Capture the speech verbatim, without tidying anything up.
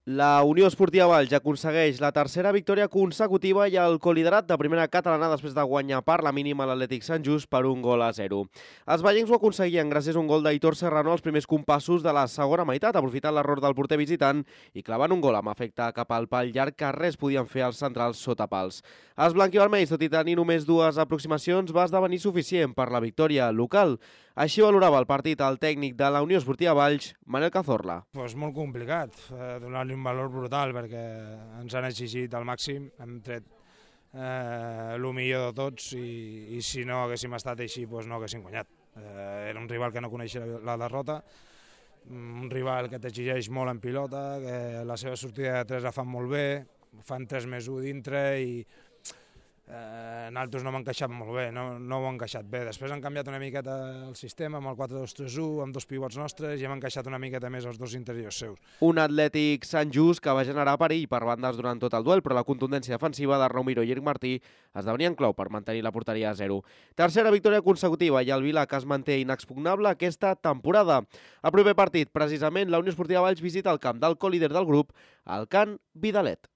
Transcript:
La Unió Esportiva Valls aconsegueix la tercera victòria consecutiva i el coliderat de primera catalana després de guanyar per la mínima l'Atlètic Sant Just per un gol a zero. Els vallencs ho aconseguien gràcies a un gol d'Aitor Serrano als primers compassos de la segona meitat, aprofitant l'error del porter visitant i clavant un gol amb efecte cap al pal llarg que res podien fer els centrals sota pals. Els blanquivermells, tot i tenir només dues aproximacions, va esdevenir suficient per la victòria local. Així valorava el partit el tècnic de la Unió Esportiva Valls, Manel Cazorla. Pues molt complicat, eh, donar-li un valor brutal perquè ens han exigit al màxim, hem tret eh, el millor de tots i, i si no haguéssim estat així pues no haguéssim guanyat. Eh, era un rival que no coneixia la, la derrota, un rival que t'exigeix molt en pilota, que la seva sortida de tres la fan molt bé, fan tres més u dintre i Eh, nosaltres no hem encaixat molt bé, no, no ho hem encaixat bé. Després han canviat una miqueta el sistema amb el quatre dos tres u, amb dos pivots nostres i hem encaixat una miqueta més els dos interiors seus. Un Atlètic Sant Just que va generar perill per bandes durant tot el duel, però la contundència defensiva de Romero i Eric Martí esdevenien clau per mantenir la porteria a zero. Tercera victòria consecutiva i el Vila que es manté inexpugnable aquesta temporada. El proper partit, precisament, la Unió Esportiva Valls visita el camp del colíder del grup, el Can Vidalet.